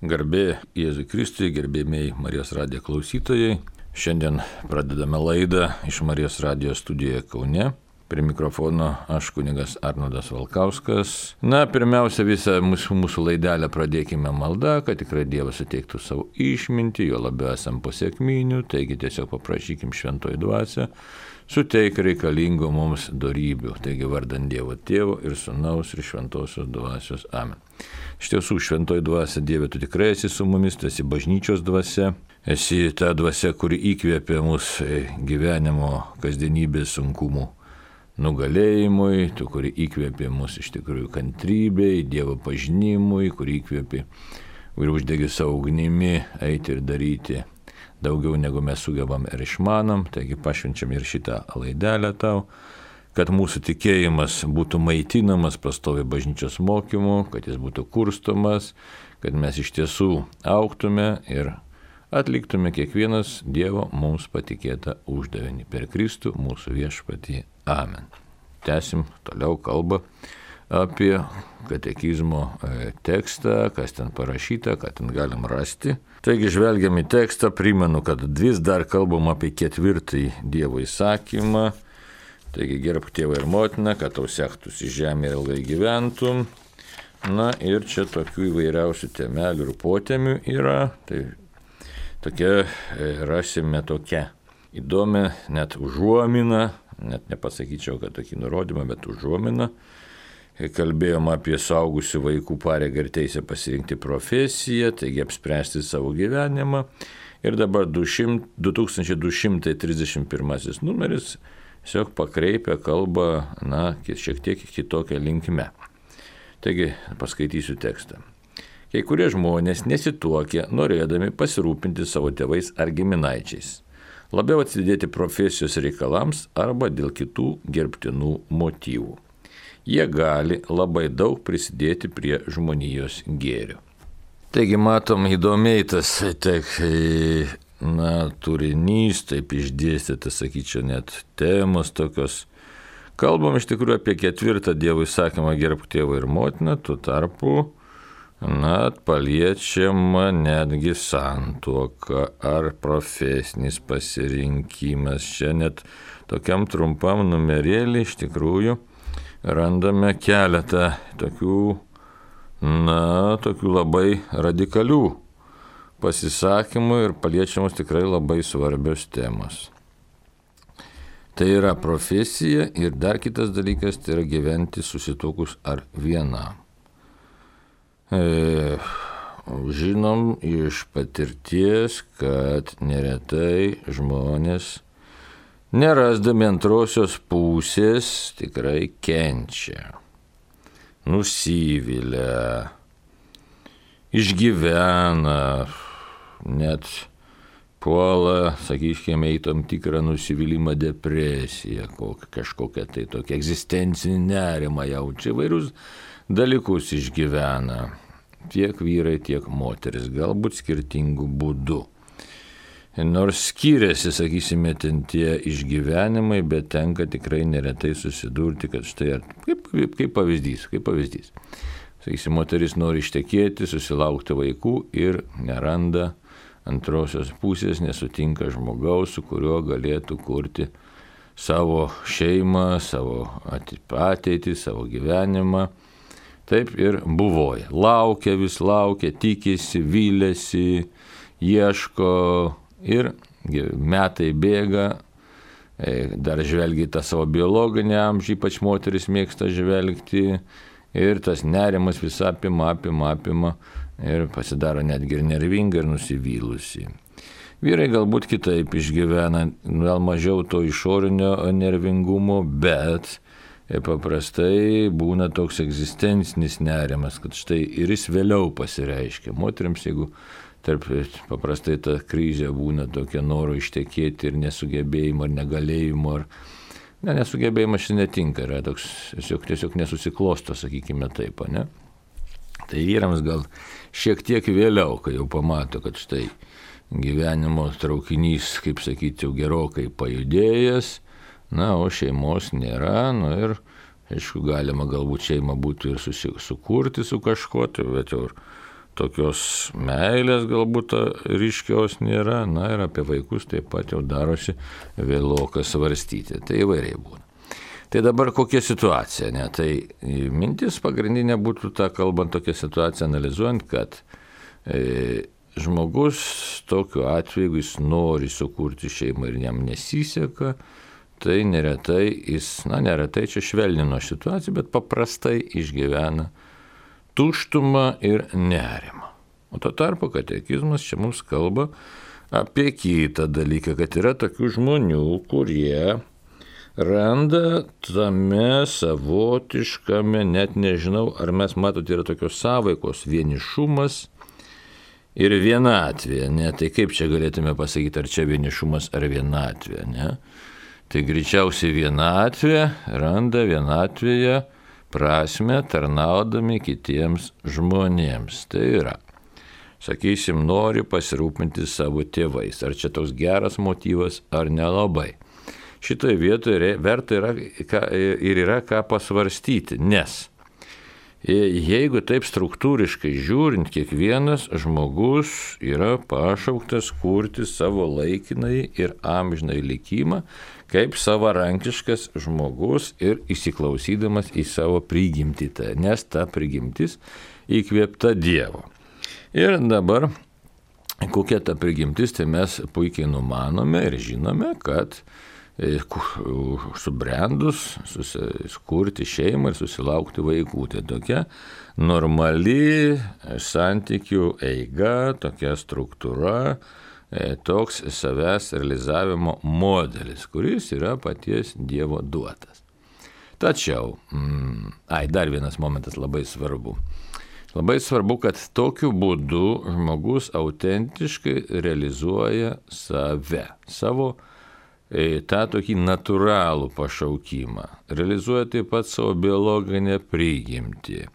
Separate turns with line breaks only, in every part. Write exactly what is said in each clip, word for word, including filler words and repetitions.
Garbė Jėzui Kristui, gerbėmiai Marijos radijo klausytojai. Šiandien pradedame laidą iš Marijos radijo studijoje Kaune. Prie mikrofono aš kunigas Arnoldas Valkauskas. Na, pirmiausia, visą mūsų, mūsų laidelę pradėkime maldą, kad tikrai Dievas suteiktų savo išmintį, jo labiau esam po sekminių, taigi tiesiog paprašykim šventoji dvasia, suteik reikalingų mums dorybių. Taigi vardant Dievo Tėvo ir Sūnaus ir Šventosios dvasios. Amen. Iš tiesų, šventoji dvasia, Dieve, tu tikrai esi su mumis, tu esi bažnyčios dvasia, esi ta dvasia, kuri įkvėpė mūsų gyvenimo kasdienybės sunkumų nugalėjimui, tu, kuri įkvėpė mūsų iš tikrųjų kantrybei, Dievo pažinimui, kuri įkvėpė ir uždegė savo ugnimi eiti ir daryti daugiau negu mes sugebam ir išmanom. Taigi pašvenčiam ir šitą laidelę tau, kad mūsų tikėjimas būtų maitinamas pastoviai bažnyčios mokymu, kad jis būtų kurstomas, kad mes iš tiesų augtume ir atliktume kiekvienas Dievo mums patikėtą uždavinį per Kristų mūsų viešpatį. Amen. Tęsim toliau kalbą apie katekizmo tekstą, kas ten parašyta, ką ten galim rasti. Taigi žvelgiam į tekstą, primenu, kad vis dar kalbam apie ketvirtąjį Dievo įsakymą. Taigi gerbk tėvą ir motiną, kad tau sektųsi žemė ir ilgai gyventum. Na ir čia tokių įvairiausių temelių ir potemių yra. Tai tokia rasime tokia įdomi net užuomina, net nepasakyčiau, kad tokį nurodymą, bet užuomina. Kalbėjom apie suaugusių vaikų pareigą ir teisę pasirinkti profesiją, taigi apspręsti savo gyvenimą. Ir dabar du tūkstančiai du šimtai trisdešimt pirmasis numeris tiesiog pakreipia kalbą, na, šiek tiek kitokią linkme. Taigi paskaitysiu tekstą. Kai kurie žmonės nesituokia, norėdami pasirūpinti savo tėvais ar giminaičiais, labiau atsidėti profesijos reikalams arba dėl kitų gerbtinų motyvų. Jie gali labai daug prisidėti prie žmonijos gėrio. Taigi matom įdomiai tas tek, na, turinys, taip išdėstytas, sakyčiau, net temos tokios. Kalbam iš tikrųjų apie ketvirtą Dievo įsakymą gerbk tėvą ir motiną, tuo tarpu, na, paliečiama netgi santuoka ar profesinis pasirinkimas. Čia net tokiam trumpam numerėlį iš tikrųjų randame keletą tokių, na, tokių labai radikalių pasisakymų ir paliečiamos tikrai labai svarbios temos. Tai yra profesija ir dar kitas dalykas, tai yra gyventi susituokus ar vienam. E, žinom iš patirties, kad neretai žmonės nerasdami antrosios pusės tikrai kenčia, nusivilia, išgyvena, net puola, sakykime, į tam tikrą nusivylimą, depresiją, kažkokią tai tokią egzistencinį nerimą jaučia, įvairius dalykus išgyvena, tiek vyrai, tiek moteris, galbūt skirtingų būdų. Nors skiriasi, sakysime, ten tie išgyvenimai, bet tenka tikrai neretai susidurti, kad štai, kaip, kaip pavyzdys, kaip pavyzdys. Sakysime, moteris nori ištekėti, susilaukti vaikų ir neranda antrosios pusės, nesutinka žmogaus, su kuriuo galėtų kurti savo šeimą, savo ateitį, savo gyvenimą. Taip ir buvoja. Laukia, vis laukia, tikisi, vylėsi, ieško. Ir metai bėga, dar žvelgia tą savo biologinį amžių, ypač moteris mėgsta žvelgti, ir tas nerimas vis apima, apima, apima, ir pasidaro netgi ir nervinga, ir nusivylusi. Vyrai galbūt kitaip išgyvena, gal mažiau to išorinio nervingumo, bet paprastai būna toks egzistencinis nerimas, kad štai ir jis vėliau pasireiškia. Moteriams, jeigu tarp paprastai ta krizė būna tokia noro ištekėti ir nesugebėjimo, ar negalėjimo, ar ne, nesugebėjimas šis netinka, yra toks tiesiog, tiesiog nesusiklosto, sakykime taip, ne? Tai vyrams gal šiek tiek vėliau, kai jau pamato, kad štai gyvenimo traukinys, kaip sakyti, jau gerokai pajudėjęs, na, o šeimos nėra, nu ir, aišku, galima galbūt šeimą būtų ir susi, sukurti su kažkuo, bet jau tokios meilės galbūt ryškios nėra, na ir apie vaikus taip pat jau darosi vėloka svarstyti. Tai įvairiai būna. Tai dabar kokia situacija, ne? Tai mintis pagrindinė būtų ta, kalbant tokią situaciją, analizuojant, kad e, žmogus tokiu atveju, jeigu jis nori sukurti šeimą ir jam nesiseka, tai neretai jis, na neretai čia švelnino situaciją, bet paprastai išgyvena tuštumą ir nerimą. O tuo tarpu katekizmas čia mums kalba apie kitą dalyką, kad yra tokių žmonių, kurie randa tame savotiškame, net nežinau, ar mes matote, yra tokios sąveikos vienišumas ir vienatvė, ne? Tai kaip čia galėtume pasakyti, ar čia vienišumas ar vienatvė, ne? Tai greičiausiai vienatvė randa vienatvėje prasme tarnaudami kitiems žmonėms. Tai yra, sakysim, nori pasirūpinti savo tėvais. Ar čia toks geras motyvas, ar nelabai. Šitoje vietoje verta yra, ir yra ką pasvarstyti, nes jeigu taip struktūriškai žiūrint, kiekvienas žmogus yra pašauktas kurti savo laikinai ir amžinai likimą, kaip savarankiškas žmogus ir įsiklausydamas į savo prigimtį, nes ta prigimtis įkvėpta Dievo. Ir dabar, kokia ta prigimtis, tai mes puikiai numanome ir žinome, kad subrendus, susikurti šeimą ir susilaukti vaikų. Tai tokia normali santykių eiga, tokia struktūra, toks savęs realizavimo modelis, kuris yra paties Dievo duotas. Tačiau, mm, ai, dar vienas momentas labai svarbu. Labai svarbu, kad tokiu būdu žmogus autentiškai realizuoja save, savo tą tokį natūralų pašaukimą, realizuoja taip pat savo biologinę prigimtį,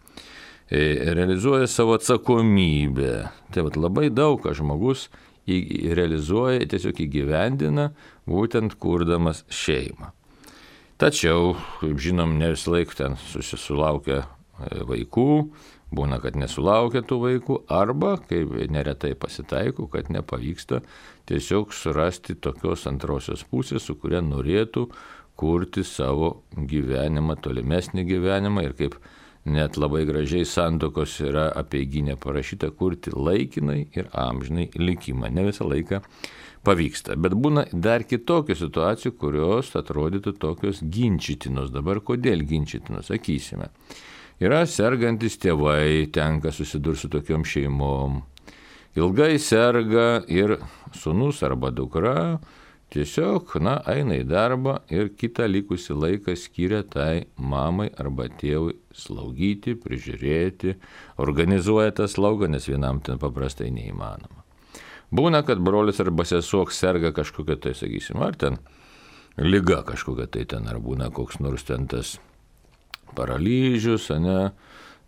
realizuoja savo atsakomybę. Tai vat labai daug ką žmogus realizuoja, tiesiog įgyvendina, būtent kurdamas šeimą. Tačiau, kaip žinom, ne visą laiką ten susilaukia vaikų, būna, kad nesulaukia tų vaikų, arba, kaip neretai pasitaiko, kad nepavyksta tiesiog surasti tokios antrosios pusės, su kuria norėtų kurti savo gyvenimą, tolimesnį gyvenimą ir kaip net labai gražiai santokos yra apeiginė parašyta, kurti laikinai ir amžinai likimą. Ne visą laiką pavyksta, bet būna dar kitokių situacijų, kurios atrodytų tokios ginčytinos. Dabar kodėl ginčytinos, sakysime. Yra sergantis tėvai, tenka susidurti su tokiom šeimom. Ilgai serga ir sūnus arba dukra tiesiog, na, eina į darbą ir kitą likusį laiką skiria tai mamai arba tėvui slaugyti, prižiūrėti, organizuoja tą slaugą, nes vienam ten paprastai neįmanoma. Būna, kad brolis arba sesuo serga kažkokia tai, sakysim, ar ten liga kažkokia tai ten, ar būna koks nors ten tas paralyžius, ne,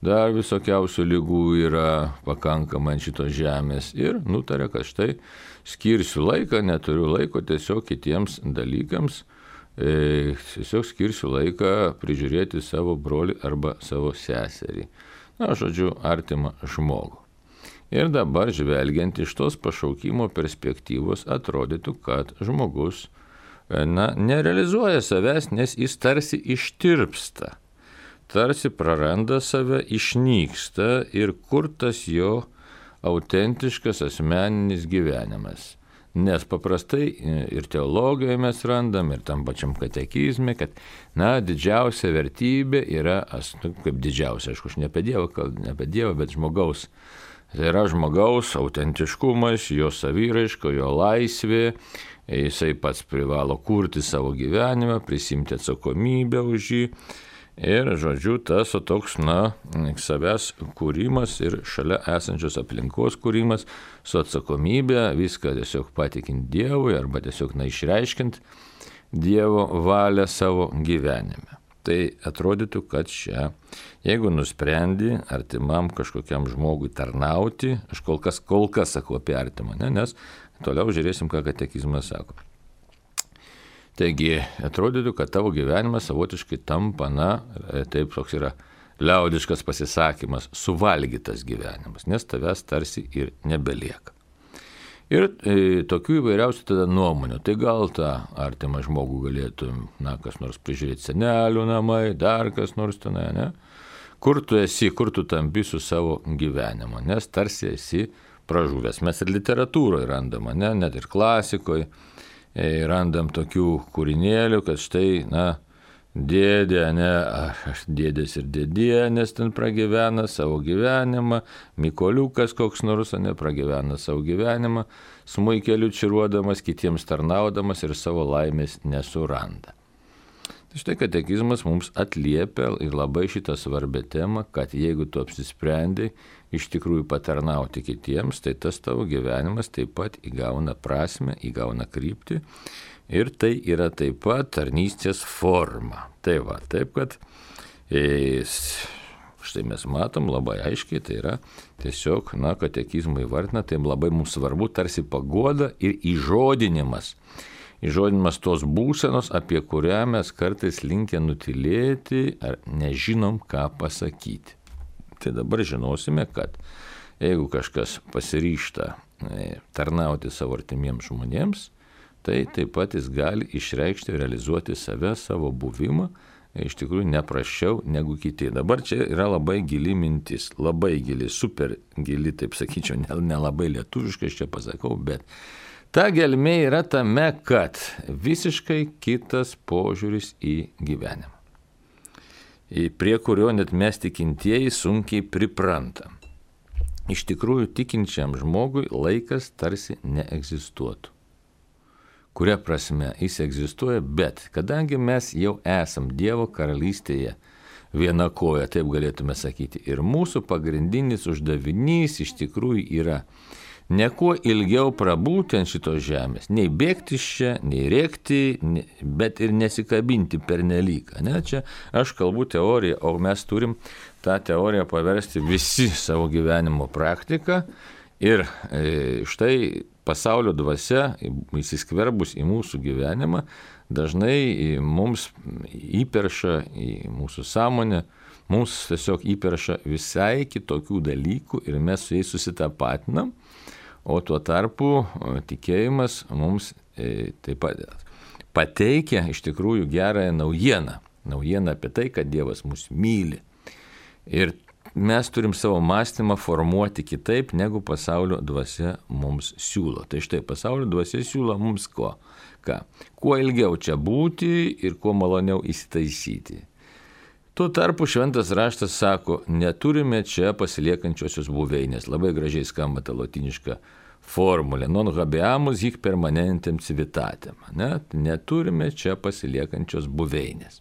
dar visokiausių lygų yra pakankamai ant šitos žemės ir nutarė, kad štai skirsiu laiką, neturiu laiko tiesiog kitiems dalykams, e, tiesiog skirsiu laiką prižiūrėti savo brolį arba savo seserį. Na, žodžiu, artimą žmogų. Ir dabar, žvelgiant iš tos pašaukimo perspektyvos, atrodytų, kad žmogus, na, nerealizuoja savęs, nes jis tarsi ištirpsta. Tarsi praranda save, išnyksta ir kur tas jo autentiškas asmeninis gyvenimas. Nes paprastai ir teologijoje mes randam, ir tam pačiam katekizme, kad, na, didžiausia vertybė yra, kaip didžiausia, aišku, aš ne apie Dievą, ne apie Dievą, bet žmogaus. Tai yra žmogaus autentiškumas, jo savyraiška, jo laisvė, jisai pats privalo kurti savo gyvenimą, prisimti atsakomybę už jį. Ir, žodžiu, tas o toks, na, savęs kūrimas ir šalia esančios aplinkos kūrimas su atsakomybė, viską tiesiog patikint Dievui arba tiesiog, na, išreiškint Dievo valią savo gyvenime. Tai atrodytų, kad čia, jeigu nusprendi artimam kažkokiam žmogui tarnauti, aš kol kas, kol kas sakau apie artimą, ne, nes toliau žiūrėsim, ką katekizmas sako. Taigi, atrodytų, kad tavo gyvenimas savotiškai tampa, na, taip toks yra liaudiškas pasisakymas suvalgytas gyvenimas, nes tavęs tarsi ir nebelieka. Ir e, tokių įvairiausių tada nuomonių. Tai gal tą artimą žmogų galėtų, na, kas nors prižiūrėti, senelių namai, dar kas nors tenai, ne? Kur tu esi, kur tu tampi su savo gyvenimu, nes tarsi esi pražuvęs. Mes ir literatūroje randam, ne, net ir klasikoje e, randam tokių kūrinėlių, kad štai, na, dėdė, ne, aš dėdės ir dėdienės ten pragyvena savo gyvenimą, Mykoliukas koks nors, ne, pragyvena savo gyvenimą, smuikeliu čiruodamas, kitiems tarnaudamas ir savo laimės nesuranda. Tai štai katekizmas mums atliepia ir labai šitą svarbę temą, kad jeigu tu apsisprendai iš tikrųjų patarnauti kitiems, tai tas tavo gyvenimas taip pat įgauna prasmę, įgauna kryptį. Ir tai yra taip pat tarnystės forma. Tai va, taip kad e, štai mes matom labai aiškiai, tai yra tiesiog, na, katekizmai įvardina, tai labai mums svarbu tarsi paguoda ir įžodinimas. Įžodinimas tos būsenos, apie kurią mes kartais linkę nutilėti ar nežinom, ką pasakyti. Tai dabar žinosime, kad jeigu kažkas pasiryžta e, tarnauti savo artimiems žmonėms, tai taip pat jis gali išreikšti, realizuoti save, savo buvimą, iš tikrųjų neprasčiau negu kiti. Dabar čia yra labai gili mintis, labai gili, super gili, taip sakyčiau, nelabai lietuviškai aš čia pasakau, bet ta gelmė yra tame, kad visiškai kitas požiūris į gyvenimą, prie kurio net mes tikintieji sunkiai priprantam. Iš tikrųjų, tikinčiam žmogui laikas tarsi neegzistuotų. Kuria prasme jis egzistuoja, bet kadangi mes jau esam Dievo karalystėje viena koja, taip galėtume sakyti, ir mūsų pagrindinis uždavinys iš tikrųjų yra ne kuo ilgiau prabūti ant šitos žemės, nei bėgti iš čia, nei rėkti, bet ir nesikabinti pernelyg. Ne? Čia aš kalbu teoriją, o mes turim tą teoriją paversti visi savo gyvenimo praktiką ir e, štai pasaulio dvasia, įsiskverbus į mūsų gyvenimą, dažnai mums įperša į mūsų sąmonę, mums tiesiog įperša visai kitokių dalykų ir mes su jais susitapatinam, o tuo tarpu tikėjimas mums e, taip pat pateikia iš tikrųjų gerąją naujieną, naujieną apie tai, kad Dievas mus myli. Ir mes turim savo mąstymą formuoti kitaip, negu pasaulio dvasia mums siūlo. Tai štai pasaulio dvasia siūlo mums ko? Ką? Kuo ilgiau čia būti ir kuo maloniau įsitaisyti. Tuo tarpu šventas raštas sako, neturime čia pasiliekančiosios buveinės. Labai gražiai skamba ta lotiniška formulė. Non habeamus hic permanentem civitatem. Ne? Neturime čia pasiliekančios buveinės.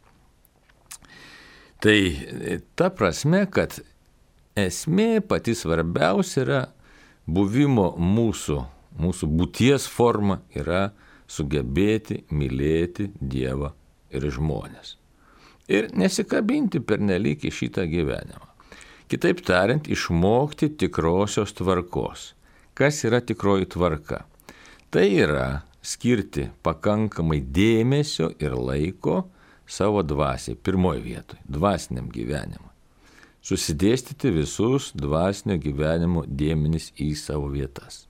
Tai ta prasme, kad esmė pati svarbiausia yra buvimo mūsų, mūsų būties forma yra sugebėti mylėti Dievą ir žmonės. Ir nesikabinti pernelyg į šitą gyvenimą. Kitaip tariant, išmokti tikrosios tvarkos. Kas yra tikroji tvarka? Tai yra skirti pakankamai dėmesio ir laiko savo dvasiai, pirmoji vietoje, dvasiniam gyvenimui. Susidėstyti visus dvasinio gyvenimo dėmenis į savo vietas.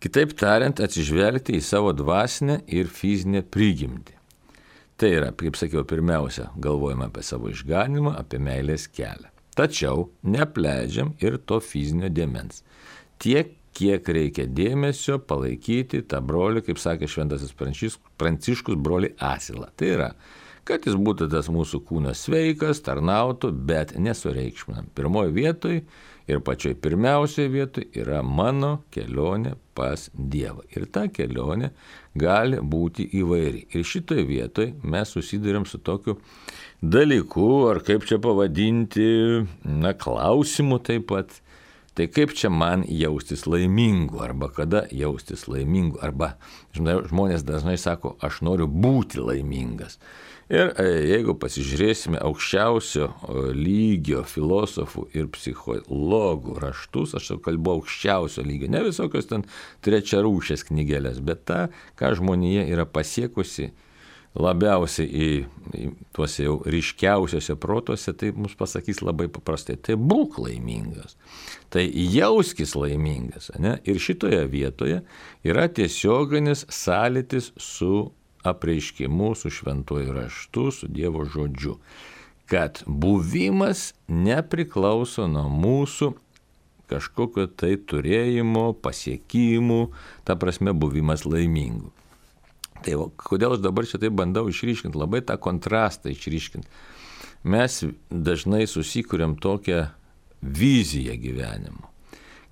Kitaip tariant, atsižvelgti į savo dvasinę ir fizinę prigimtį. Tai yra, kaip sakiau, pirmiausia, galvojame apie savo išganimą, apie meilės kelią. Tačiau neapleidžiam ir to fizinio dėmens. Tiek, kiek reikia dėmesio palaikyti tą brolį, kaip sakė šventasis Pranciškus, brolį Asilą. Tai yra, kad jis būtų tas mūsų kūnas sveikas, tarnautų, bet nesureikšminam. Pirmoji vietoj ir pačioj pirmiausiai vietoj yra mano kelionė pas Dievą. Ir ta kelionė gali būti įvairi. Ir šitoje vietoje mes susiduriam su tokiu dalyku, ar kaip čia pavadinti, na, klausimu taip pat. Tai kaip čia man jaustis laimingu, arba kada jaustis laimingu, arba žmonės dažnai sako, aš noriu būti laimingas. Ir jeigu pasižiūrėsime aukščiausio lygio filosofų ir psichologų raštus, aš jau kalbu aukščiausio lygio, ne visokios ten trečiarūšės knygelės, bet ta, ką žmonija yra pasiekusi labiausiai į, į tuose jau ryškiausiuose protuose, tai mums pasakys labai paprastai, tai būk laimingas, tai jauskis laimingas. Ne? Ir šitoje vietoje yra tiesioginis sąlytis su apreiškimu, su šventuoju raštu, su Dievo žodžiu, kad buvimas nepriklauso nuo mūsų kažkokio tai turėjimo, pasiekimų, ta prasme buvimas laimingu. Tai va, kodėl aš dabar šitai bandau išryškinti, labai tą kontrastą išryškinti. Mes dažnai susikūrėm tokią viziją gyvenimo,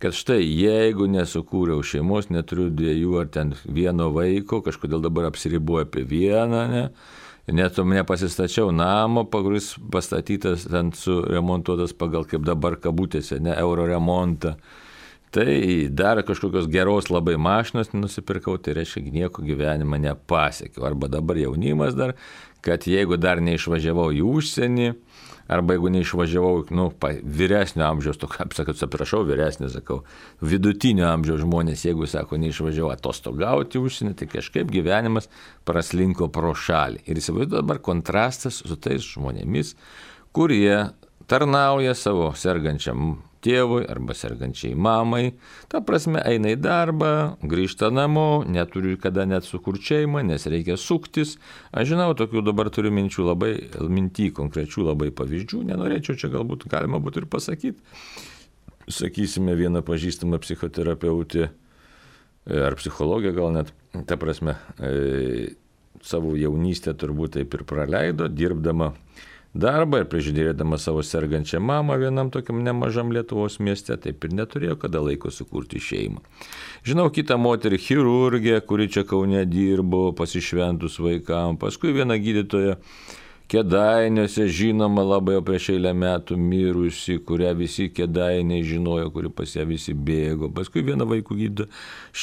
kad štai jeigu nesukūriau šeimos, neturiu dviejų ar ten vieno vaiko, kažkodėl dabar apsiribuoju apie vieną, ne? Net nepasistačiau namo, kuris pastatytas, ten suremontuotas pagal kaip dabar kabutėse, ne euro remontą. Tai dar kažkokios geros labai mašinos nusipirkau, tai reiškia, nieko gyvenimą nepasiekiau. Arba dabar jaunimas dar, kad jeigu dar neišvažiavau į užsienį, arba jeigu neišvažiavau, nu, vyresnio amžiaus, to, kaip sakau, atsiprašau, vyresnio, sakau, vidutinio amžiaus žmonės, jeigu, sako, neišvažiavau atostogauti į užsienį, tai kažkaip gyvenimas praslinko pro šalį. Ir įsivaizduoju dabar kontrastas su tais žmonėmis, kurie tarnauja savo sergančiam tėvui arba sergančiai mamai, ta prasme eina į darbą, grįžta namo, neturiu kada net sukurt šeimą, nes reikia suktis. Aš žinau, tokių dabar turiu minčių labai, mintį konkrečių labai pavyzdžių, nenorėčiau čia galbūt galima būtų ir pasakyti. Sakysime, viena pažįstama psichoterapeutė ar psichologė gal net, ta prasme, e, savo jaunystę turbūt taip ir praleido, dirbdama darbą ir prižiūrėdama savo sergančią mamą vienam tokiam nemažam Lietuvos mieste, taip ir neturėjo kada laiko sukurti šeimą. Žinau kitą moterį chirurgę, kuri čia Kaune dirbo, pasišventus vaikam, paskui vieną gydytoją Kėdainiuose, žinoma labai prieš eilę metų mirusi, kurią visi Kėdainiai žinojo, kuri pas ją visi bėgo. Paskui vieną vaikų gydytoją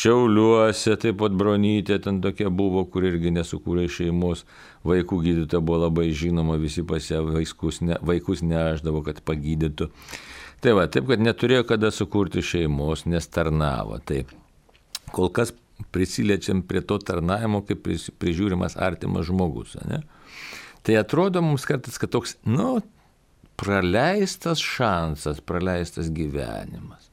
Šiauliuose, taip pat Bronytė ten tokia buvo, kur irgi nesukūrė šeimos. Vaikų gydytoja buvo labai žinoma, visi pas ją vaikus, ne, vaikus neaždavo, kad pagydytų. Tai va, taip, kad neturėjo kada sukurti šeimos, nes tarnavo. Tai kol kas prisiliečiam prie to tarnavimo, kaip prižiūrimas artimas žmogus, ne? Tai atrodo mums kartais, kad toks, nu, praleistas šansas, praleistas gyvenimas.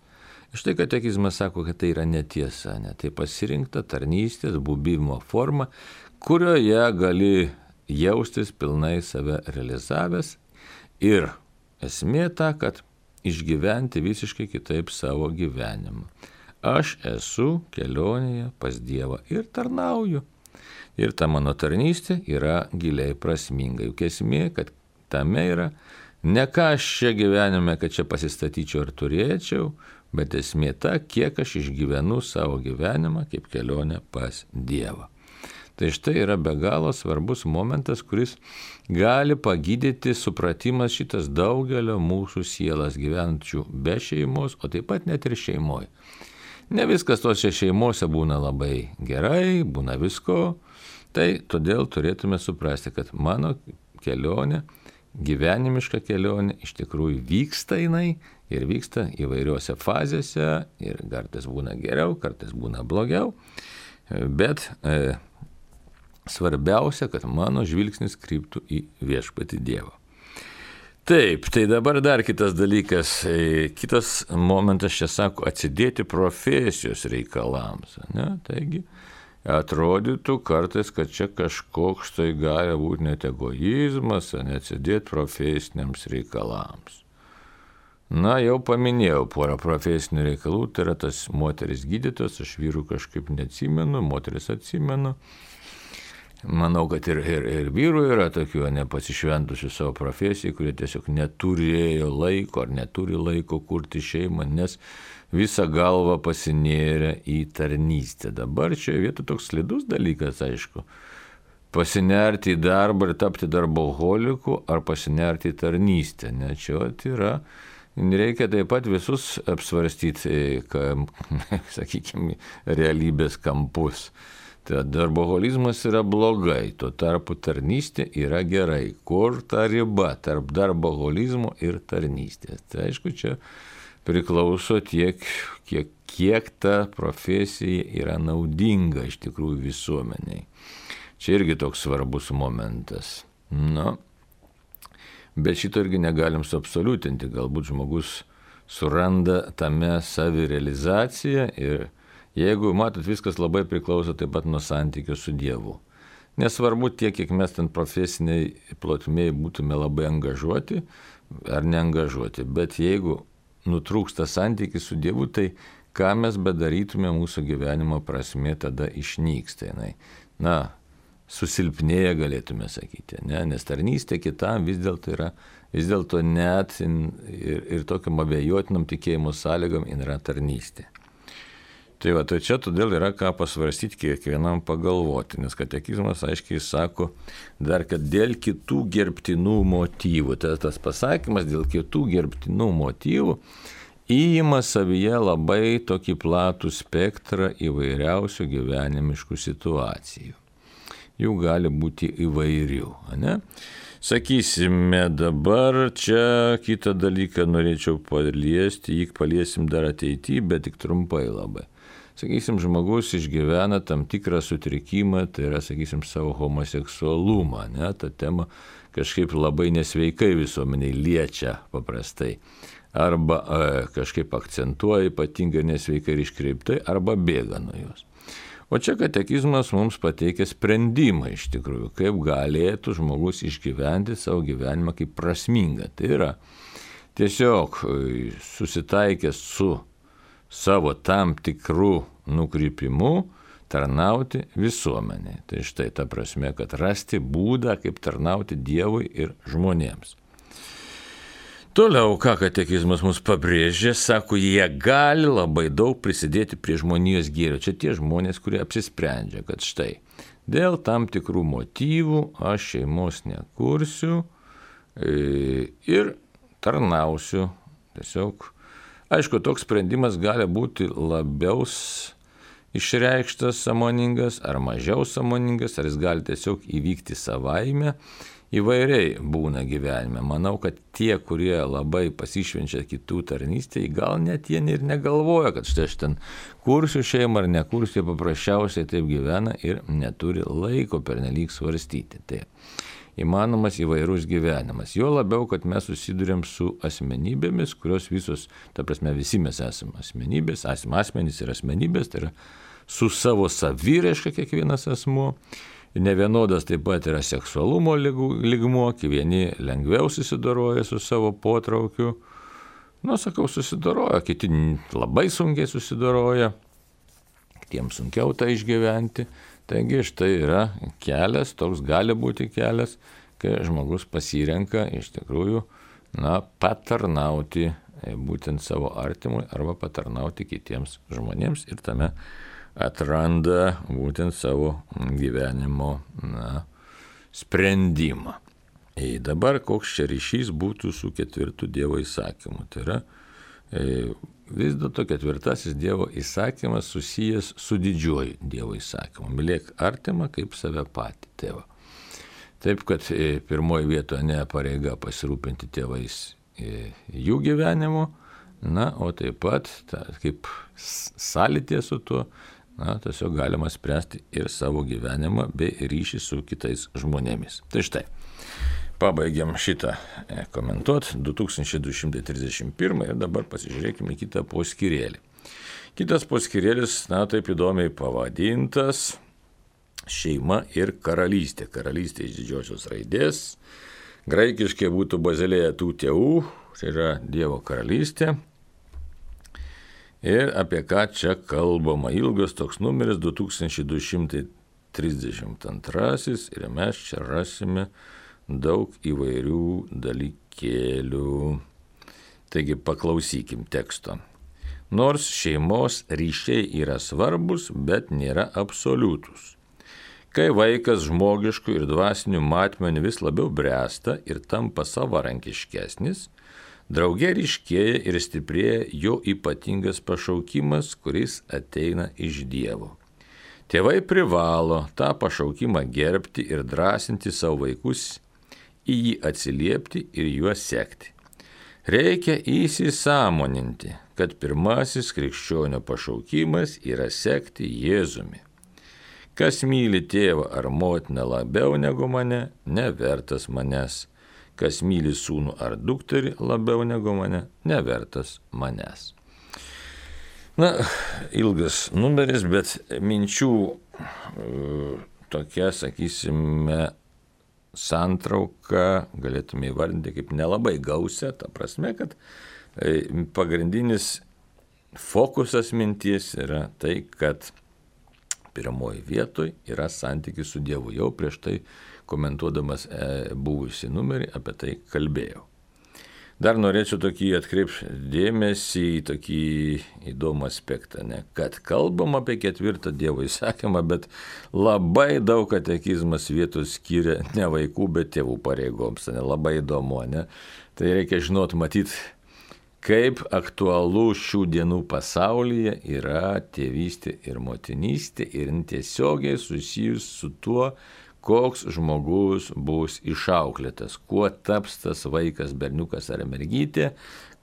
Štai katekizmas sako, kad tai yra netiesa, ne? Tai pasirinkta tarnystės, buvimo forma, kurioje gali jaustis pilnai save realizavęs ir esmė ta, kad išgyventi visiškai kitaip savo gyvenimą. Aš esu kelionėje pas Dievą ir tarnauju. Ir ta mano tarnystė yra giliai prasminga. Juk esmė, kad tame yra ne ką aš čia gyvenime, kad čia pasistatyčiau ar turėčiau, bet esmė ta, kiek aš išgyvenu savo gyvenimą kaip kelionę pas Dievą. Tai štai yra be galo svarbus momentas, kuris gali pagydyti supratimas šitas daugelio mūsų sielas gyvenčių be šeimos, o taip pat net ir šeimoje. Ne viskas tose šeimose būna labai gerai, būna visko. Tai todėl turėtume suprasti, kad mano kelionė, gyvenimiška kelionė iš tikrųjų vyksta jinai ir vyksta įvairiuose fazėse ir kartais būna geriau, kartais būna blogiau, bet e, svarbiausia, kad mano žvilgsnis kryptų į viešpatį Dievą. Taip, tai dabar dar kitas dalykas, e, kitas momentas čia sako atsidėti profesijos reikalams, ne? Taigi, atrodytų kartais, kad čia kažkoks tai gali būti net egoizmas, neatsidėti profesiniams reikalams. Na, jau paminėjau porą profesinių reikalų, tai yra tas moteris gydytojas, aš vyrų kažkaip neatsimenu, moteris atsimenu. Manau, kad ir, ir, ir vyrų yra tokių nepasišventusių savo profesijai, kurie tiesiog neturėjo laiko ar neturi laiko kurti šeimą, nes visą galvą pasinėrė į tarnystę. Dabar čia vieta toks slidus dalykas, aišku. Pasinerti į darbą ir tapti darboholiku ar pasinerti į tarnystę. Ne, čia yra, reikia taip pat visus apsvarstyti, kam, sakykime, realybės kampus. Tai darboholizmas yra blogai, tuo tarpu tarnystė yra gerai. Kur ta riba tarp darboholizmo ir tarnystės? Tai aišku, čia priklauso tiek, kiek, kiek ta profesija yra naudinga iš tikrųjų visuomeniai. Čia irgi toks svarbus momentas. Nu, bet šito irgi negalim suabsoliutinti. Galbūt žmogus suranda tame savirealizaciją ir jeigu, matot, viskas labai priklauso taip pat nuo santykio su Dievu. Nesvarbu tiek, kiek mes ten profesiniai plotmėje būtume labai angažuoti ar neangažuoti, bet jeigu nutrūksta santykis su Dievu, tai ką mes bedarytume, mūsų gyvenimo prasmė tada išnyksta. Na, susilpnėja galėtume sakyti, ne? Nes tarnystė kitam vis dėlto yra, vis dėlto net ir, ir tokiam abejotinam tikėjimo sąlygom yra tarnystė. Tai va, tai čia todėl yra ką pasvarstyti kiekvienam pagalvoti, nes katekizmas aiškiai sako dar, kad dėl kitų gerbtinų motyvų, tai tas pasakymas dėl kitų gerbtinų motyvų įima savyje labai tokį platų spektrą įvairiausių gyvenimiškų situacijų. Jų gali būti įvairių, ne? Sakysime, dabar čia kitą dalyką norėčiau paliesti, jį paliesim dar ateityje, bet tik trumpai labai. Sakysim, žmogus išgyvena tam tikrą sutrikimą, tai yra, sakysim, savo homoseksualumą, ne, ta tema kažkaip labai nesveikai visuomeniai liečia paprastai, arba e, kažkaip akcentuoja ypatingai nesveikai ir iškreiptai, arba bėga nuo jos. O čia katekizmas mums pateikia sprendimą iš tikrųjų, kaip galėtų žmogus išgyventi savo gyvenimą kaip prasmingą. Tai yra tiesiog susitaikęs su savo tam tikrų nukrypimų tarnauti visuomeniai. Tai štai ta prasme, kad rasti būdą, kaip tarnauti Dievui ir žmonėms. Toliau, ką katekizmas mums pabrėžė, sako, jie gali labai daug prisidėti prie žmonijos gėrio. Čia tie žmonės, kurie apsisprendžia, kad štai dėl tam tikrų motyvų aš šeimos nekursiu ir tarnausiu tiesiog. Aišku, toks sprendimas gali būti labiau išreikštas sąmoningas ar mažiau sąmoningas, ar jis gali tiesiog įvykti savaime. Įvairiai būna gyvenime. Manau, kad tie, kurie labai pasišvenčia kitų tarnystėje, gal net jie ir negalvoja, kad štai aš ten kursiu šeimą ar nekursiu, jie paprasčiausiai taip gyvena ir neturi laiko pernelyg svarstyti. Tai įmanomas įvairus gyvenimas. Jo labiau, kad mes susidurėm su asmenybėmis, kurios visos, ta prasme, visi mes esame asmenybės, esame asmenys ir asmenybės, tai yra su savo saviraiška kiekvienas asmuo. Nevienodas taip pat yra seksualumo lygmuo, vieni lengviau susidoroja su savo potraukiu, nu, sakau, susidoroja, kiti labai sunkiai susidoroja, kitiems sunkiau tai išgyventi. Taigi štai yra kelias, toks gali būti kelias, kai žmogus pasirenka iš tikrųjų, na, patarnauti būtent savo artimui arba patarnauti kitiems žmonėms ir tame atranda būtent savo gyvenimo, na, sprendimą. Ir dabar koks čia ryšys būtų su ketvirtu Dievo įsakymu. Tai yra e, vis dėlto ketvirtasis Dievo įsakymas susijęs su didžiuoju Dievo įsakymu. Mylėk artimą kaip save patį, tėvą. Taip, kad e, pirmoji vietoje ne pareiga pasirūpinti tėvais e, jų gyvenimu, na, o taip pat ta, kaip sąlytė su tuo, na, tiesiog galima spręsti ir savo gyvenimą bei ryšį su kitais žmonėmis. Tai štai. Pabaigiam šitą komentuoti, du tūkstančiai du šimtai trisdešimt pirmą ir dabar pasižiūrėkime į kitą poskyrėlį. Kitas poskyrėlis, na, taip įdomiai pavadintas šeima ir karalystė. Karalystė iš didžiosios raidės. Graikiškai būtų bazilėja tų tėvų, tai yra Dievo karalystė. Ir apie ką čia kalbama. Ilgas toks numeris du tūkstančiai du šimtai trisdešimt antrasis ir mes čia rasime daug įvairių dalykėlių. Taigi paklausykim teksto. Nors šeimos ryšiai yra svarbus, bet nėra absoliutus. Kai vaikas žmogiškų ir dvasinių matmenų vis labiau bręsta ir tampa savarankiškesnis, drauge ryškėja ir stiprėja jo ypatingas pašaukimas, kuris ateina iš Dievo. Tėvai privalo tą pašaukimą gerbti ir drąsinti savo vaikus, į jį atsiliepti ir juos sekti. Reikia įsisąmoninti, kad pirmasis krikščionio pašaukimas yra sekti Jėzumi. Kas myli tėvą ar motiną labiau negu mane, nevertas manęs. Kas myli sūnų ar dukterį labiau negu mane, nevertas manęs. Na, ilgas numeris, bet minčių tokia, sakysime, santrauka galėtume įvardinti kaip nelabai gausia, ta prasme, kad pagrindinis fokusas minties yra tai, kad pirmoji vietoj yra santykis su Dievu. Jau prieš tai komentuodamas buvusį numerį apie tai kalbėjau. Dar norėčiau tokį atkreipti dėmesį į tokį įdomų aspektą, ne? Kad kalbam apie ketvirtą Dievo įsakymą, bet labai daug katekizmas vietos skiria ne vaikų, bet tėvų pareigoms. Ne? Labai įdomu, ne? Tai reikia žinot, matyti, kaip aktualu šių dienų pasaulyje yra tėvystė ir motinystė ir tiesiogiai susijus su tuo, koks žmogus bus išauklėtas, kuo taps tas vaikas, berniukas ar mergytė,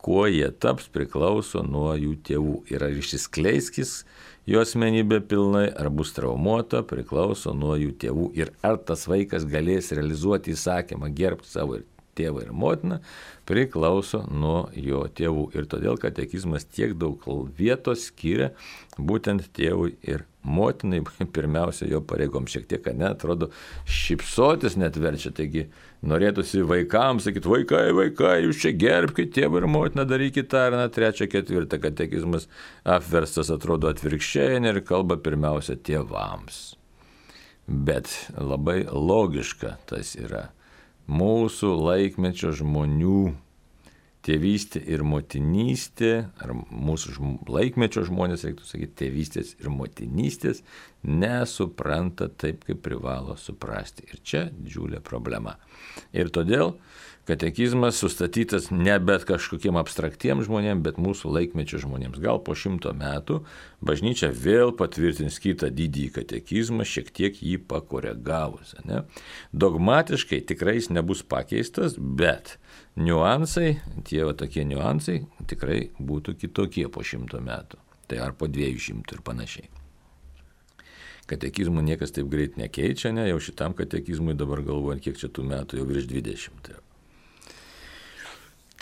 kuo jie taps priklauso nuo jų tėvų. Ir ar išsiskleiskis jo asmenybė pilnai, ar bus traumuota, priklauso nuo jų tėvų. Ir ar tas vaikas galės realizuoti įsakymą, gerbti savo ir tėvą ir motiną, priklauso nuo jo tėvų. Ir todėl katekizmas tiek daug vietos skiria būtent tėvui ir motinai, pirmiausia jo pareigom. Šiek tiek, ne, atrodo, šypsotis net verčia. Taigi norėtųsi vaikams sakyti, vaikai, vaikai, jūs čia gerbkite tėvą ir motiną, darykite tą ir na, trečią, ketvirtą. Katekizmas apverstas atrodo atvirkščiai ir kalba pirmiausia tėvams. Bet labai logiška tas yra. Mūsų laikmečio žmonių tėvystė ir motinystė, ar mūsų žm- laikmečio žmonės, reiktų sakyti, tėvystės ir motinystės, nesupranta taip, kaip privalo suprasti. Ir čia didžiulė problema. Ir todėl katekizmas sustatytas ne bet kažkokiem abstraktiems žmonėms, bet mūsų laikmečio žmonėms. Gal po šimto metų bažnyčia vėl patvirtins kitą didįjį katekizmą, šiek tiek jį pakoregavus. Ne? Dogmatiškai tikrai jis nebus pakeistas, bet niuansai, tie va tokie niuansai tikrai būtų kitokie po šimto metų. Tai ar po dviejų šimtų ir panašiai. Katekizmų niekas taip greit nekeičia, ne? Jau šitam katekizmui dabar galvojant, kiek čia tų metų, jau virš dvidešimt.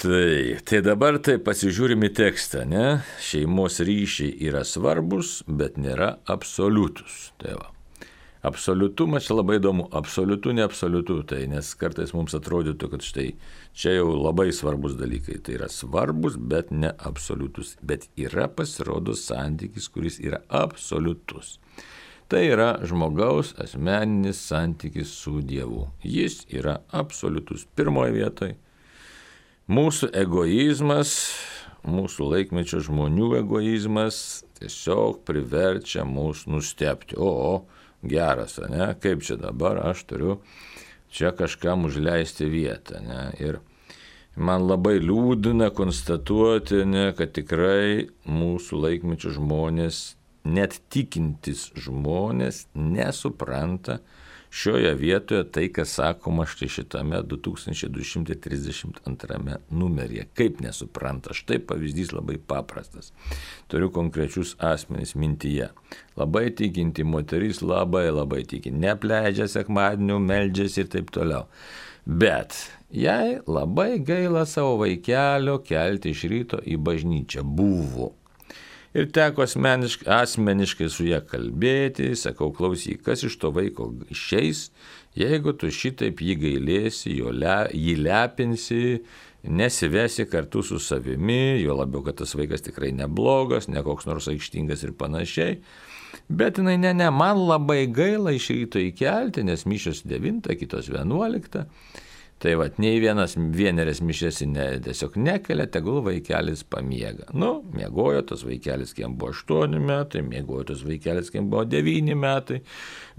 Tai, tai dabar tai pasižiūrime tekstą, ne? Šeimos ryšiai yra svarbus, bet nėra absoliutus. Tai va. Absoliutumas čia labai įdomu, absoliutu, neabsoliutu, tai nes kartais mums atrodytų, kad štai čia jau labai svarbus dalykai, tai yra svarbus, bet ne absoliutus, bet yra pasirodo santykis, kuris yra absoliutus. Tai yra žmogaus asmeninis santykis su Dievu. Jis yra absoliutus. Pirmoje vietoje mūsų egoizmas, mūsų laikmečio žmonių egoizmas tiesiog priverčia mus nustebti. O, o geras, ne? Kaip čia dabar aš turiu čia kažkam užleisti vietą. Ne? Ir man labai liūdina konstatuoti, ne, kad tikrai mūsų laikmečio žmonės, net tikintis žmonės, nesupranta šioje vietoje tai, kas sakoma štai šitame du tūkstančiai du šimtai trisdešimt antrame numeryje. Kaip nesupranta? Štai pavyzdys labai paprastas. Turiu konkrečius asmenys mintyje. Labai tikinti moteris, labai labai tikinti. Nepleidžia sekmadienių, meldžiasi ir taip toliau. Bet jai labai gaila savo vaikelio kelti iš ryto į bažnyčią. Buvo. Ir teko asmeniškai, asmeniškai su ją kalbėti, sakau, klausyk, kas iš to vaiko išeis, jeigu tu šitaip jį gailėsi, le, jį lepinsi, nesivesi kartu su savimi, jo labiau, kad tas vaikas tikrai neblogas, ne koks nors aikštingas ir panašiai. Bet jinai, ne, ne, man labai gaila iš ryto įkelti, nes mišios devintą, kitos vienuoliktą. Tai vat, nei vienas vieneris mišės ne, tiesiog nekelia, tegul vaikelis pamiega. Nu, miegojo tas vaikelis, kiem buvo aštuoni metai, miegojo tas vaikelis, kiem buvo devyni metai,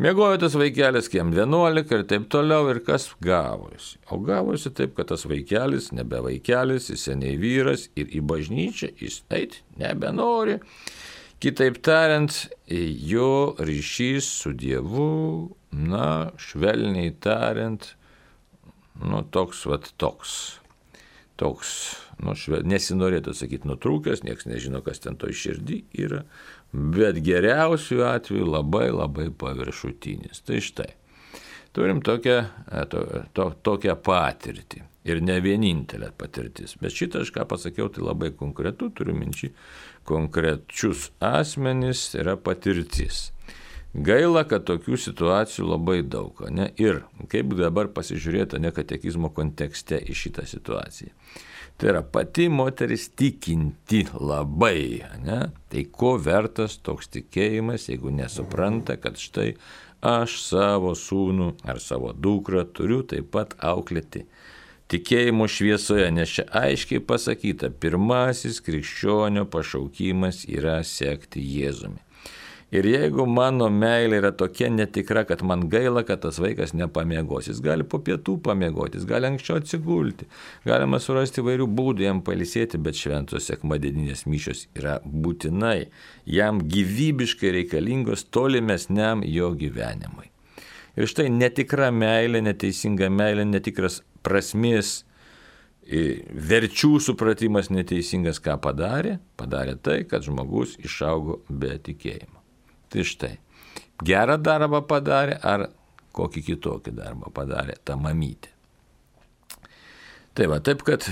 miegojo tas vaikelis, kiem vienuolika ir taip toliau, ir kas gavosi. O gavosi taip, kad tas vaikelis, nebe vaikelis, jis seniai vyras ir į bažnyčią jis eit nebenori. Kitaip tariant, jo ryšys su Dievu, na, švelniai tariant, nu, toks, vat, toks. toks, nu, šve, nesinorėtų sakyti nutrūkęs, niekas nežino, kas ten to širdį yra, bet geriausiu atveju labai labai paviršutinis. Tai štai, turim tokią, to, to, tokią patirtį ir ne vienintelė patirtis, bet šitą aš ką pasakiau, tai labai konkretu, turiu minčių, konkrečius asmenys yra patirtis. Gaila, kad tokių situacijų labai daug, ne? Ir kaip dabar pasižiūrėti, ne katekizmo kontekste į šitą situaciją. Tai yra pati moteris tikinti labai, ne? Tai ko vertas toks tikėjimas, jeigu nesupranta, kad štai aš savo sūnų ar savo dukrą turiu taip pat auklėti tikėjimo šviesoje, nes čia aiškiai pasakyta, pirmasis krikščionio pašaukimas yra sekti Jėzumi. Ir jeigu mano meilė yra tokia netikra, kad man gaila, kad tas vaikas nepamiegos, jis gali po pietų pamiegoti, jis gali anksčiau atsigulti, galima surasti įvairių būdų jam pailsėti, bet šventos sekmadieninės mišios yra būtinai, jam gyvybiškai reikalingos tolimesniam jo gyvenimui. Ir štai netikra meilė, neteisinga meilė, netikras prasmės, verčių supratimas neteisingas, ką padarė, padarė tai, kad žmogus išaugo be tikėjimo. Tai štai, gerą darbą padarė ar kokį kitokį darbą padarė ta mamytė. Tai va, taip kad,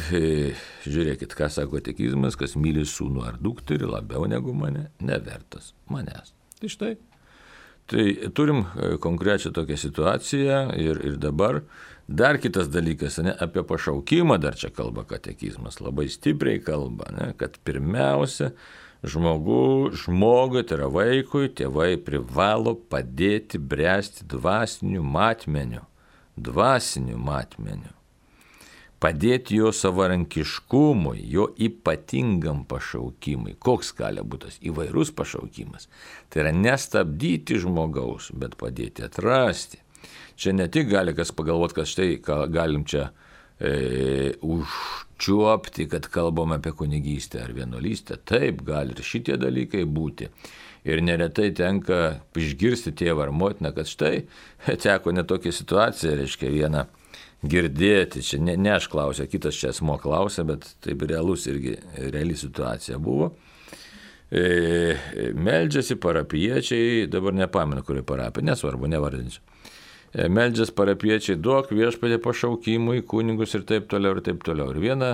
žiūrėkit, ką sako katekizmas, kas myli sūnų ar dukterį labiau negu mane, nevertas manęs. Tai štai, tai turim konkrečią tokią situaciją ir, ir dabar dar kitas dalykas, ne, apie pašaukimą dar čia kalba katekizmas, labai stipriai kalba, ne, kad pirmiausia, Žmogų, žmogui, tai yra vaikui, tėvai privalo padėti bręsti dvasiniu matmeniu, dvasiniu matmeniu, padėti jo savarankiškumui, jo ypatingam pašaukimui. Koks gali būti tas įvairus pašaukimas? Tai yra nestabdyti žmogaus, bet padėti atrasti. Čia ne tik gali kas pagalvoti, kad štai galim čia e, užčiuopti, kad kalbam apie kunigystę ar vienuolystę. Taip, gali ir šitie dalykai būti. Ir neretai tenka išgirsti tėvą ar motiną, kad štai teko netokia situacija, reiškia vieną girdėti. Čia ne, ne aš klausiu, kitas čia asmo klausia, bet taip realus irgi, reali situacija buvo. E, meldžiasi parapiečiai, dabar nepamenu, kuri parapija, nesvarbu, nevardinsiu. Meldžias parapiečiai, duok viešpatį pašaukimui, kunigus ir taip toliau ir taip toliau. Ir viena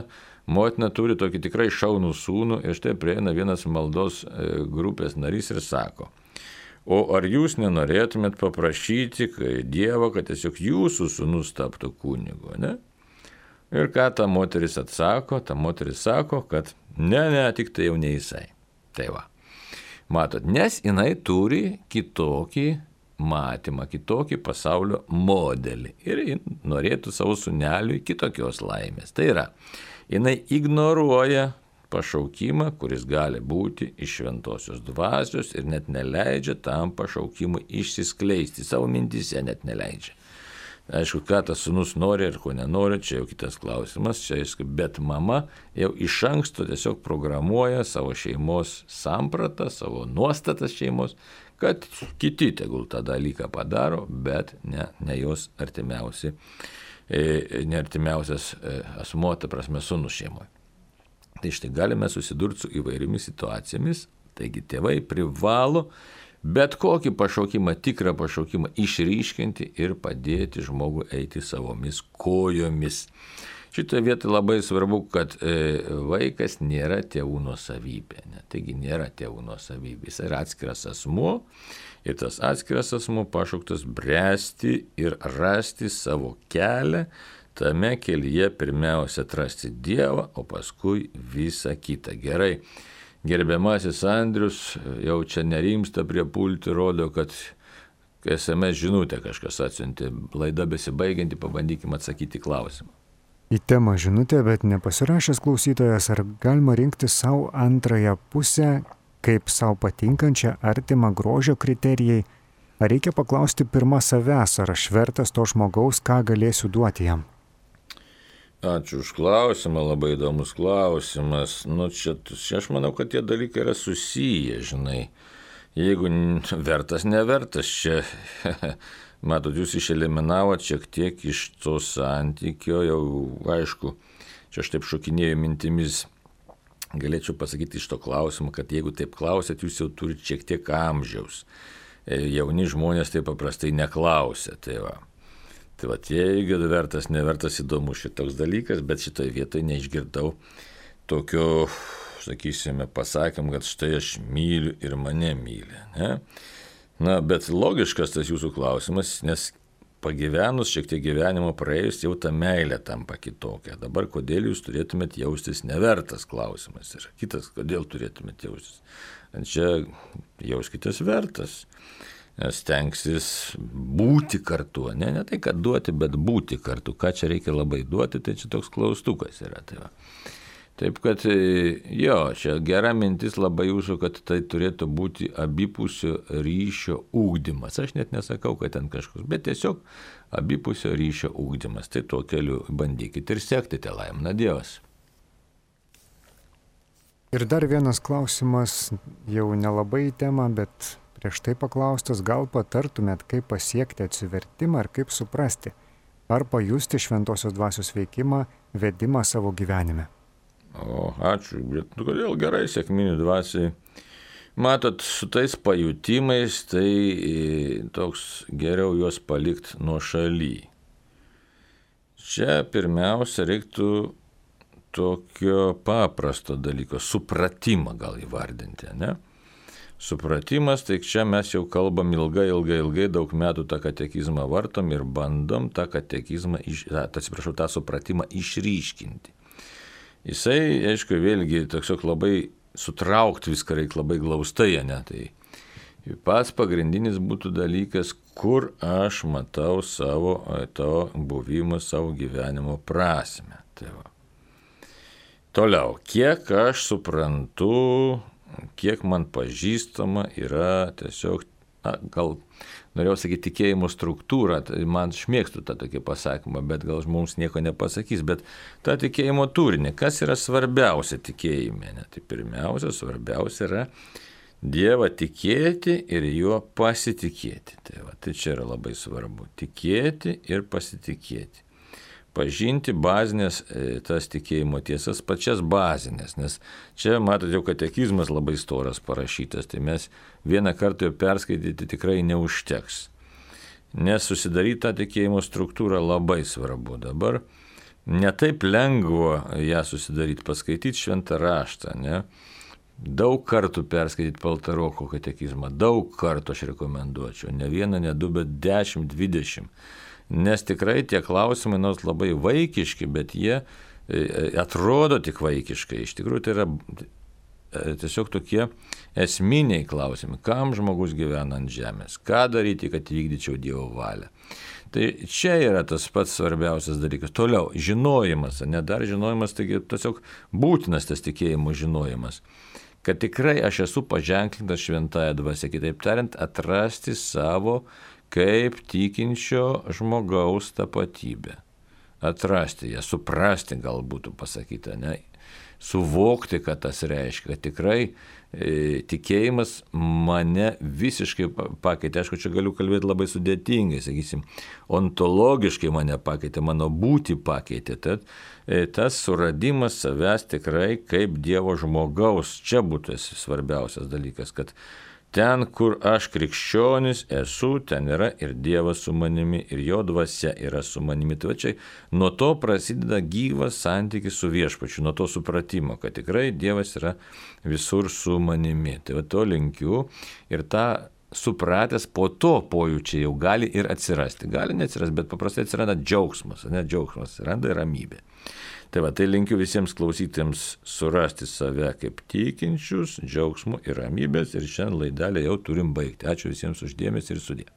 motina turi tokį tikrai šaunų sūnų ir štai prieina vienas maldos grupės narys ir sako, o ar jūs nenorėtumėt paprašyti Dievo, kad tiesiog jūsų sūnus taptų kunigu, ne? Ir ką ta moteris atsako? Ta moteris sako, kad ne, ne, tik tai jau ne jisai. Tai va, matot, nes jinai turi kitokį matymą, kitokį pasaulio modelį ir norėtų savo sūneliui kitokios laimės. Tai yra, jinai ignoruoja pašaukimą, kuris gali būti iš šventosios dvasios ir net neleidžia tam pašaukimui išsiskleisti, savo mintyse net neleidžia. Aišku, ką tas sūnus nori ir ko nenori, čia jau kitas klausimas, čia, bet mama jau iš anksto tiesiog programuoja savo šeimos sampratą, savo nuostatas šeimos, kad kiti tegul tą dalyką padaro, bet ne, ne jos artimiausi, ne artimiausias asmuo, ta prasme, sūnus šeimoje. Tai štai galime susidurti su įvairiomis situacijomis, taigi tėvai privalo bet kokį pašaukimą, tikrą pašaukimą išryškinti ir padėti žmogui eiti savomis kojomis. Šitoje vietoje labai svarbu, kad vaikas nėra tėvų nuosavybė. Ne? Taigi nėra tėvų nuosavybė. Jis yra atskiras asmuo ir tas atskiras asmuo pašauktas bręsti ir rasti savo kelią. Tame kelyje pirmiausia atrasti Dievą, o paskui visą kitą. Gerai. Gerbiamasis Andrius jau čia nerimsta prie pulti, rodo, kad es em es žinutę kažkas atsiuntė. Laida besibaigianti, pabandykime atsakyti klausimą.
Į temą žinutę, bet nepasirašęs klausytojas, ar galima rinkti savo antrąją pusę kaip savo patinkančią artimą grožio kriterijai, ar reikia paklausti pirmą savęs, ar aš vertas to žmogaus, ką galėsiu duoti jam?
Ačiū už klausimą, labai įdomus klausimas. Nu, čia, čia aš manau, kad tie dalykai yra susiję, žinai. Jeigu vertas, nevertas, čia, matot, jūs išeliminavot šiek tiek iš to santykio, jau aišku, čia aš taip šokinėjau mintimis, galėčiau pasakyti iš to klausimo, kad jeigu taip klausėt, jūs jau turite šiek tiek amžiaus. Jauni žmonės taip paprastai neklausia. Tai va, tai va jeigu vertas, nevertas įdomus šitoks dalykas, bet šitoje vietoje neišgirdau tokio, sakysime, pasakym, kad štai aš myliu ir mane myli. Ne? Na, bet logiškas tas jūsų klausimas, nes pagyvenus šiek tiek gyvenimo praėjus, jau ta meilė tampa kitokia. Dabar kodėl jūs turėtumėt jaustis nevertas klausimas. Ir kitas, kodėl turėtumėt jaustis. Čia jauskitės vertas. Stengsis būti kartu. Ne, ne tai, kad duoti, bet būti kartu. Ką čia reikia labai duoti, tai čia toks klaustukas yra. Tai va. Taip kad, jo, čia gera mintis labai jūsų, kad tai turėtų būti abipusio ryšio ugdymas. Aš net nesakau, kad ten kažkas, bet tiesiog abipusio ryšio ugdymas. Tai tuo keliu bandykite ir sekti, te laimina Dievas.
Ir dar vienas klausimas, jau nelabai į temą, bet prieš tai paklaustas, gal patartumėt, kaip pasiekti atsivertimą ir kaip suprasti, ar pajusti šventosios dvasios veikimą, vedimą savo gyvenime.
O, ačiū, bet kodėl gerai sekminių dvasiai. Matot, su tais pajutimais, tai toks geriau juos palikti nuo šaly. Čia pirmiausia reiktų tokio paprasto dalyko, supratimą gal įvardinti, ne? Supratimas, tai čia mes jau kalbam ilgai, ilgai, ilgai, daug metų tą katekizmą vartom ir bandom tą katekizmą, iš, atsiprašau, tą supratimą išryškinti. Jisai, aišku, vėlgi, tiesiog labai sutraukti viską reikia labai glaustai, ne? Tai pats pagrindinis būtų dalykas, kur aš matau savo to buvimo, savo gyvenimo prasmę. Tai va. Toliau, kiek aš suprantu, kiek man pažįstama yra tiesiog, na, gal norėjau sakyti tikėjimo struktūra, tai man šmėgstu tą tokį pasakymą, bet gal mums nieko nepasakys, bet tą tikėjimo turinį, kas yra svarbiausia tikėjime, ne? Tai pirmiausia, svarbiausia yra Dievą tikėti ir juo pasitikėti. Tai, va, tai čia yra labai svarbu, tikėti ir pasitikėti. Pažinti bazinės tas tikėjimo tiesas, pačias bazinės, nes čia, matote, jau katekizmas labai storas parašytas, tai mes vieną kartą jau perskaityti tikrai neužteks. Nes susidaryti tą tikėjimo struktūrą labai svarbu. Dabar netaip lengva ją susidaryti, paskaityti šventą raštą, ne? Daug kartų perskaityti Paltaroko katekizmą, daug kartų aš rekomenduočiau, ne vieną, ne du, bet dešimt, dvidešimt. Nes tikrai tie klausimai nors labai vaikiški, bet jie atrodo tik vaikiškai. Iš tikrųjų tai yra tiesiog tokie esminiai klausimai. Kam žmogus gyvena ant žemės? Ką daryti, kad vykdyčiau Dievo valią? Tai čia yra tas pats svarbiausias dalykas. Toliau, žinojimas, ne dar žinojimas, taigi tiesiog būtinas tas tikėjimo žinojimas. Kad tikrai aš esu paženklintas šventąja dvasia, kitaip tariant, atrasti savo kaip tikinčio žmogaus tapatybę. Atrasti ją, suprasti gal būtų pasakyta, ne? Suvokti, kad tas reiškia, kad tikrai e, tikėjimas mane visiškai pakeitė. Aišku, čia galiu kalbėti labai sudėtingai, sakysim, ontologiškai mane pakeitė, mano būtį pakeitė. Tad e, tas suradimas savęs tikrai kaip Dievo žmogaus, čia būtų svarbiausias dalykas, kad ten, kur aš krikščionis esu, ten yra ir Dievas su manimi, ir jo dvasia yra su manimi. Tai čia nuo to prasideda gyvas santykis su viešpačiu, nuo to supratimo, kad tikrai Dievas yra visur su manimi. Tai va to linkiu ir tą supratęs po to pojūčiai jau gali ir atsirasti. Gali neatsirasti, bet paprastai atsiranda džiaugsmas, ne džiaugsmas, atsiranda ir ramybė. Tai va, tai linkiu visiems klausytėms surasti save kaip tikinčius, džiaugsmų ir ramybės ir šiandien laidelę jau turim baigti. Ačiū visiems už dėmesį ir sudie.